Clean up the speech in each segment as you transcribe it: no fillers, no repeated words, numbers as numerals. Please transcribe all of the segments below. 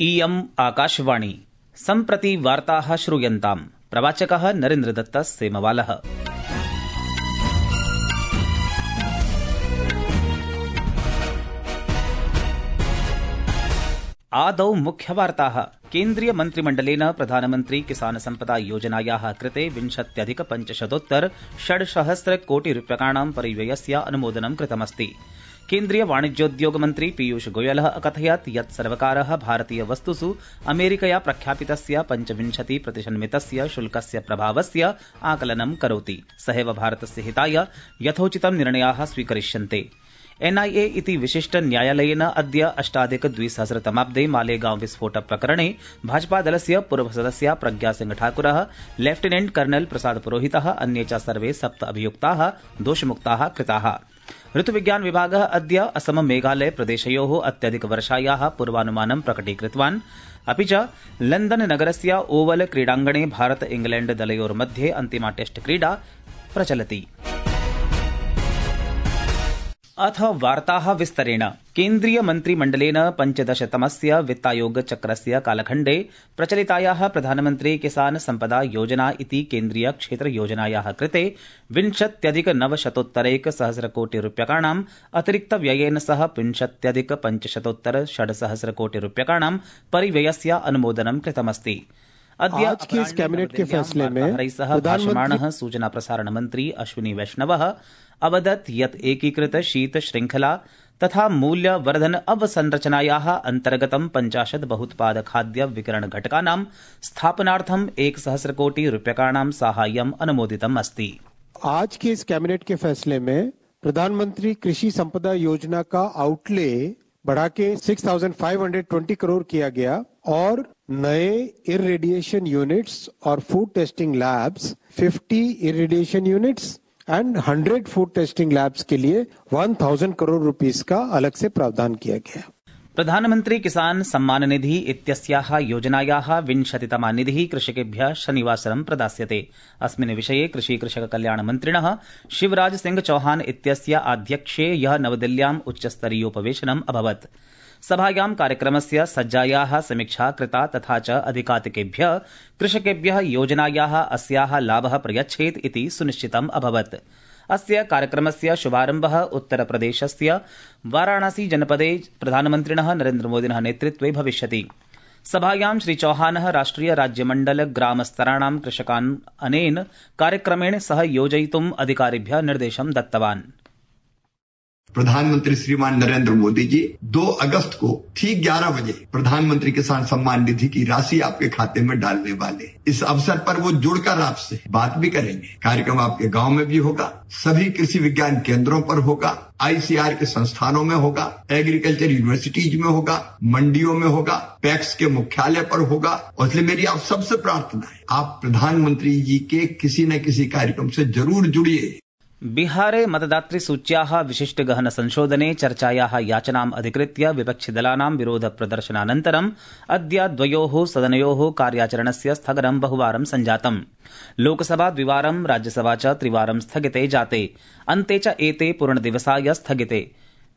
इयम् आकाशवाणी सम्प्रति वार्ताः श्रूयन्ताम्। प्रवाचकः नरेन्द्रदत्त सेमवालः। आदौ मुख्यवार्ताः। केन्द्रीय मन्त्रिमण्डलेन प्रधानमन्त्री किसान सम्पदा योजनायाः कृते 20,500,600 कोटिरूप्यकाणां परिव्ययस्य अनुमोदनं कृतमस्ति। केन्द्रीय वाणिज्योद्योग मन्त्री पीयूष गोयलः अकथयत् यत् सर्वकारः भारतीय वस्तुषु अमेरिकया प्रख्यापितस्य 25% शुल्कस्य प्रभावस्य आकलनं करोति। सहैव भारतस्य हिताय यथोचितं निर्णयाः स्वीकरिष्यन्ते। एनआईए इति विशिष्ट न्यायालयेन अद्य 2008 मालेगांव विस्फोट प्रकरणे भाजपादलस्य पूर्वसदस्या प्रज्ञासिंह ठाकुरः, लेफ्टिनेंट कर्नल प्रसाद पुरोहितः, अन्ये च सर्वे 7 अभियुक्ताः दोषमुक्ताः कृताः। ऋतुविज्ञान विभागः अद्य असम मेघालय प्रदेशयोः अत्यधिकवर्षायाः पूर्वानुमानं प्रकटीकृतवान्। अपि च लण्डन नगरस्य ओवल क्रीडाङ्गणे भारत इंग्लैण्ड दलयोर्मध्ये अन्तिमा टेस्ट क्रीडा प्रचलति। अथ वार्ताः विस्तरेण। केन्द्रीय मन्त्रिमण्डलेन 15तमस्य वित्तायोगचक्रस्य कालखण्डे प्रचलितायाः प्रधानमन्त्री किसान सम्पदा योजना इति केन्द्रीय क्षेत्रयोजनायाः कृते 20,900,100 कोटिरूप्यकाणाम् अतिरिक्तव्ययेन सह 20,500,600 कोटिरूप्यकाणां परिव्ययस्य अनुमोदनं कृतमस्ति। आज के इस कैबिनेट के फैसले में भाषमाणः सूचना प्रसारण मंत्री अश्विनी वैष्णवः अवदत् यत् एकीकृत शीत श्रृंखला तथा मूल्य वर्धन अवसंरचनायाः अंतर्गतं 50 बहुत्पाद खाद्य विकिरण घटकानां स्थापनार्थं 1,000 कोटि रूप्यकाणां साहाय्यम् अनुमोदितम् अस्ति। आज के इस कैबिनेट के फैसले में प्रधानमंत्री कृषि संपदा योजना का आउटले बढ़ा के 6,520 करोड़ किया गया और नए इरिडिएशन यूनिट्स और food testing labs 50 irradiation units and 100 food testing labs के लिए 1,000 करोड़ रुपीस का अलग से प्रावधान किया गया। प्रधानमंत्री किसान सम्मान निधि इत्यस्याः योजनायाः 20तमा निधिः कृषकेभ्यः शनिवासरं प्रदास्यते। अस्मिन् विषये कृषि कृषक कल्याण मन्त्रिणः शिवराज सिंह चौहान इत्यस्य आध्यक्ष्ये ह्यः नवदिल्ल्याम् उच्चस्तरीयोपवेशनम् अभवत्। सभायां कार्यक्रमस्य सज्जायाः समीक्षा कृता तथा च अधिकातिकेभ्यः कृषकेभ्यः योजनायाः अस्याः लाभः प्रयच्छेत् इति सुनिश्चितम् अभवत्। अस्य कार्यक्रमस्य शुभारम्भः उत्तरप्रदेशस्य वाराणसी जनपदे प्रधानमन्त्रिणः नरेन्द्रमोदिनः नेतृत्वे भविष्यति। सभायां श्री चौहानः राष्ट्रिय राज्यमण्डल ग्रामस्तराणां कृषकान् अनेन कार्यक्रमेण सह योजयितुम् अधिकारिभ्यः निर्देशं दत्तवान्। प्रधानमंत्री श्रीमान नरेंद्र मोदी जी 2 अगस्त को ठीक 11 बजे प्रधानमंत्री किसान सम्मान निधि की राशि आपके खाते में डालने वाले। इस अवसर पर वो जुड़कर आपसे बात भी करेंगे। कार्यक्रम आपके गांव में भी होगा, सभी कृषि विज्ञान केंद्रों पर होगा, आईसीआर के संस्थानों में होगा, एग्रीकल्चर यूनिवर्सिटीज में होगा, मंडियों में होगा, पैक्स के मुख्यालय पर होगा। और इसलिए मेरी आप सबसे प्रार्थना है, आप प्रधानमंत्री जी के किसी न किसी कार्यक्रम से जरूर जुड़िए। बिहारे मतदातृसूच्याः विशिष्ट गहन संशोधने चर्चायाः याचनाम् अधिकृत्य विपक्षिदलानां विरोध प्रदर्शनानन्तरम् अद्य द्वयोः सदनयोः कार्याचरणस्य स्थगनं बहुवारं सञ्जातम्। लोकसभा द्विवारं, राज्यसभा च त्रिवारं स्थगिते जाते। अन्ते च एते पूर्णदिवसाय स्थगिते।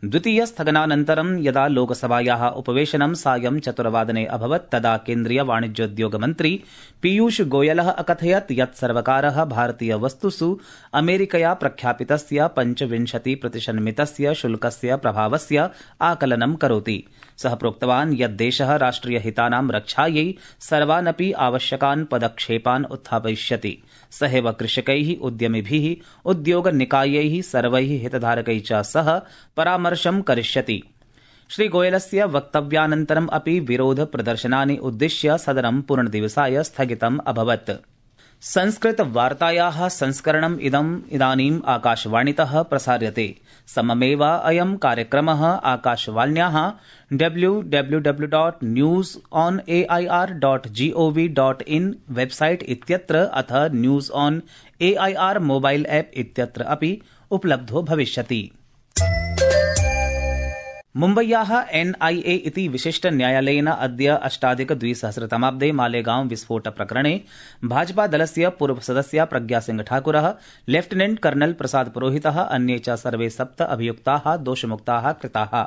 द्वितीय स्थगनानन्तरं यदा लोकसभायाः उपवेशनं सायं 4 अभवत् तदा केन्द्रीय वाणिज्योद्योग मन्त्री पीयूष गोयलः अकथयत् यत् सर्वकारः भारतीय वस्तुषु अमेरिकया प्रख्यापितस्य 25% शुल्कस्य प्रभावस्य आकलनं करोति। सः प्रोक्तवान् यत् देशः राष्ट्रियहितानां रक्षायै सर्वानपि आवश्यकान् पदक्षेपान् उत्थापयिष्यति। सहैव कृषकैः, उद्यमिभिः, उद्योगनिकायैः, सर्वैः हितधारकैः च सह परामर्शं करिष्यति। श्रीगोयलस्य वक्तव्यानन्तरम् अपि विरोध प्रदर्शनानि उद्दिश्य सदनं पूर्णदिवसाय स्थगितम् अभवत्। संस्कृत वार्तायाः संस्करणम् इदानीम् आकाशवाणीतः प्रसार्यते। सममेव अयं कार्यक्रमः आकाशवाण्याः www.newsonair.gov.in वेबसाइट इत्यत्र अथ news on AIR mobile app इत्यत्र अपि उपलब्धो भविष्यति। मुम्बय्याः एनआईए इति विशिष्ट न्यायालयेन अद्य 2008 मालेगांव विस्फोट प्रकरणे भाजपादलस्य पूर्वसदस्या प्रज्ञासिंह ठाकुरः, लेफ्टिनेंट कर्नल प्रसाद पुरोहितः, अन्ये च सर्वे 7 अभियुक्ताः दोषमुक्ताः कृताः।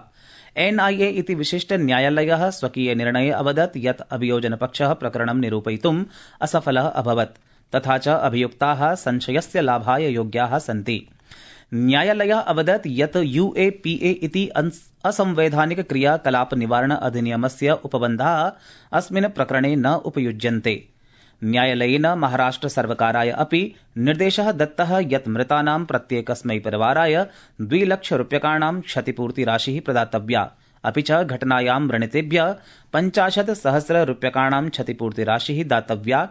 एनआईए इति विशिष्ट न्यायालयः स्वकीय निर्णये अवदत् यत् अभियोजनपक्षः प्रकरणं निरूपयितुम् असफलः अभवत् तथा च अभियुक्ताः संशयस्य लाभाय योग्याः सन्ति। न्यायालयः अवदत् यत् यूएपीए इति असंवैधानिक क्रियाकलाप निवारण अधिनियमस्य उपबन्धाः अस्मिन् प्रकरणे न उपयुज्यन्ते। न्यायालयेन महाराष्ट्र सर्वकाराय अपि निर्देशः दत्तः यत् मृतानां प्रत्येकस्मै परिवाराय 2 लाख रूप्यकाणां क्षतिपूर्तिराशिः प्रदातव्या, अपि च घटनायां व्रणितेभ्यः 50,000 रूप्यकाणां क्षतिपूर्तिराशिः दातव्या।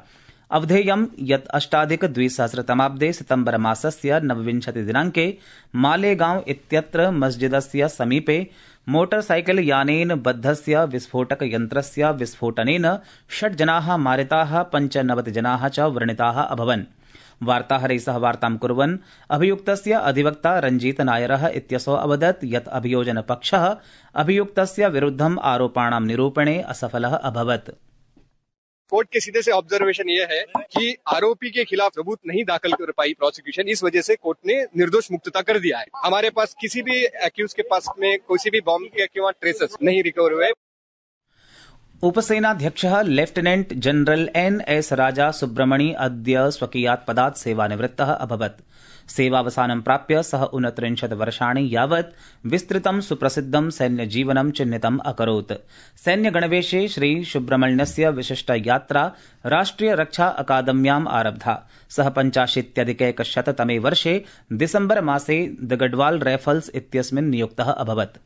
अवधेयं यत् अष्टाधिक-2000 सितम्बर मासस्य 29 दिनाङ्के मालेगांव इत्यत्र मस्जिदस्य समीपे मोटरसाइकल यानेन बद्धस्य विस्फोटकयन्त्रस्य विस्फोटनेन 6 जनाः मारिताः, 95 जनाः च व्रणिताः अभवन्। वार्ताहरैः सह वार्तां कुर्वन् अभियुक्तस्य अधिवक्ता रञ्जीत नायरः इत्यसौ अवदत् यत् अभियोजनपक्षः अभियुक्तस्य विरुद्धम् आरोपाणां निरूपणे असफलः अभवत्। कोर्ट के सीधे से ऑब्जर्वेशन ये है कि आरोपी के खिलाफ सबूत नहीं दाखिल कर पाई प्रोसिक्यूशन, इस वजह से कोर्ट ने निर्दोष मुक्तता कर दिया है। हमारे पास किसी भी एक्यूज के पास में किसी भी बॉम्ब के किंवा ट्रेसेस नहीं रिकवर हुए। उपसेनाध्यक्षः लेफ्टिनेंट जनरल एनएस राजा सुब्रमणि अद्य स्वकीयात् पदात् सेवानिवृत्तः अभवत्। सेवावसानं प्राप्य सः 39 वर्षाणि यावत् विस्तृतं सुप्रसिद्धं सैन्यजीवनं चिह्नितम् अकरोत्। सैन्यगणवेशे श्री सुब्रमण्यस्य विशिष्ट यात्रा राष्ट्रिय रक्षा अकादम्याम् आरब्धा। सः 85-100 वर्षे दिसम्बर मासे द गढ़वाल राइफल्स् इत्यस्मिन् नियुक्तः अभवत्।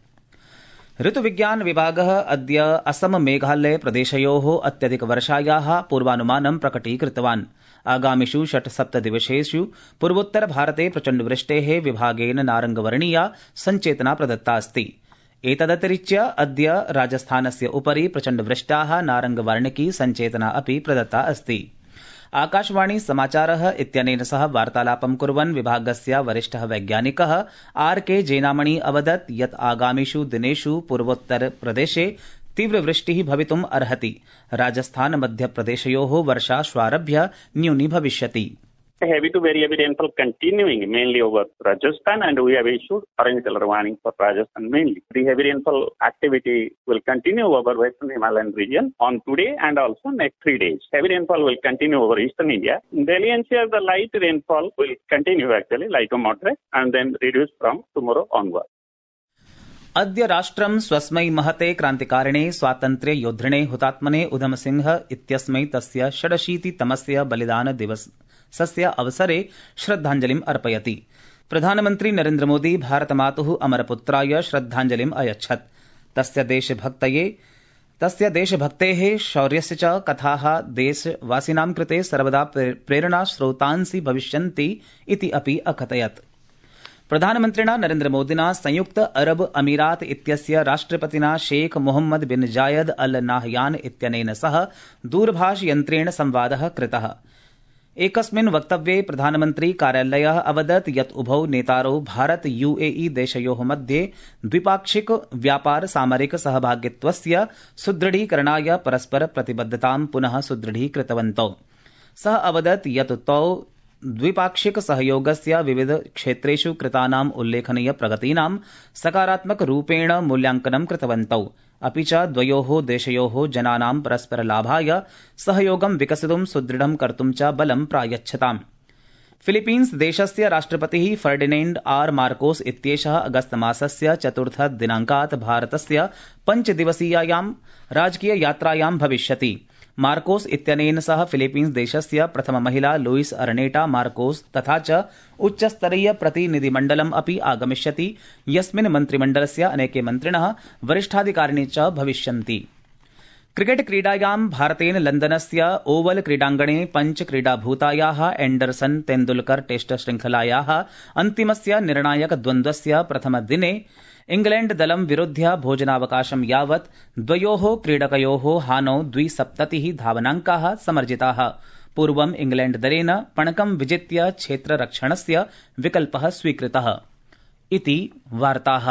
ऋतुविज्ञान विभागः अद्य असम मेघालय प्रदेशयोः अत्यधिकवर्षायाः पूर्वानुमानं प्रकटीकृतवान्। आगामिषु 6-7 दिवसेषु पूर्वोत्तर भारते प्रचण्डवृष्टेः विभागेन नारंगवर्णीया सञ्चेतना प्रदत्ता अस्ति। एतदतिरिच्य अद्य राजस्थानस्य उपरि प्रचण्डवृष्टाः नारंगवर्णिकी सञ्चेतना अपि प्रदत्ता अस्ति। आकाशवाणी समाचारः इत्यनेन सह वार्तालापं कुर्वन् विभागस्य वरिष्ठः वैज्ञानिकः आरके जेनामणि अवदत् यत् आगामिषु दिनेषु पूर्वोत्तर प्रदेशे तीव्रवृष्टिः भवितुम् अर्हति। राजस्थान मध्यप्रदेशयोः वर्षा श्वारभ्य न्यूनी भविष्यति। Heavy to very heavy rainfall continuing mainly over Rajasthan, and we have issued orange color warning for Rajasthan mainly. The heavy rainfall activity will continue over Western Himalayan region on today and also next 3 days. Heavy rainfall will continue over Eastern India. In Delhi NCR, the light rainfall will continue actually, light to moderate, and then reduce from tomorrow onward. अद्य राष्ट्रं स्वस्मै महते क्रान्तिकारिणे स्वातन्त्र्य योद्धिणे हुतात्मने उधम सिंह इत्यस्मै तस्य 86तमस्य बलिदान दिवसस्य अवसरे श्रद्धाञ्जलिम् अर्पयति। प्रधानमन्त्री नरेन्द्र मोदी भारतमातुः अमरपुत्राय श्रद्धाञ्जलिम् अयच्छत्। तस्य देशभक्तेः शौर्यस्य च कथाः देशवासिनां कृते सर्वदा प्रेरणास्रोतांसि भविष्यन्ति इति अपि अकथयत्। प्रधानमन्त्रिणा नरेन्द्र मोदिना संयुक्त अरब अमीरात इत्यस्य राष्ट्रपतिना शेख मोहम्मद बिन जायद अल नाहयान इत्यनेन सह दूरभाषयन्त्रेण संवादः कृतः। एकस्मिन् वक्तव्ये प्रधानमन्त्री कार्यालयः अवदत् यत् उभौ नेतारौ भारत यूएई देशयोः मध्ये द्विपाक्षिक व्यापार सामरिक सहभागित्वस्य सुदृढीकरणाय परस्पर प्रतिबद्धतां पुनः सुदृढीकृतवन्तौ। सः अवदत् यत् तौ द्विपाक्षिक सहयोगस्य विविध क्षेत्रेषु कृतानाम् उल्लेखनीय प्रगतीनां सकारात्मक रूपेण मूल्यांकनं कृतवन्तौ, अपि च द्वयोः देशयोः जनानां परस्पर लाभाय सहयोगं विकसितुं सुदृढं कर्तुं च बलं प्रायच्छताम्। फिलीपीन्स देशस्य राष्ट्रपतिः फर्डिनेण्ड आर मार्कोस इत्येषः अगस्त मासस्य 4 दिनाङ्कात् भारतस्य 5 दिवसीयायां राजकीय यात्रायां भविष्यति। मार्कोस इत्यनेन सह फिलीपीन्स देशस्य प्रथम महिला लुइस अर्नेटा मार्कोस तथा च उच्चस्तरीय प्रतिनिधिमण्डलम् अपि आगमिष्यति, यस्मिन् मन्त्रिमण्डलस्य अनेके मन्त्रिणः वरिष्ठाधिकारिणी च भविष्यन्ति। क्रिकेट क्रीडायां भारतेन लन्दनस्य ओवल क्रीडाङ्गणे पञ्चक्रीडाभूतायाः एण्डरसन तेन्दुलकर टेस्ट श्रृंखलायाः अन्तिमस्य निर्णायक द्वन्द्वस्य प्रथमदिने इंग्लैण्ड दलं विरुध्य भोजनावकाशं यावत् द्वयोः क्रीडकयोः हानौ 270 धावनाङ्काः समर्जिताः। पूर्वम् इंग्लैण्ड दलेन पणकं विजित्य क्षेत्ररक्षणस्य विकल्पः स्वीकृतः। इति वार्ताः।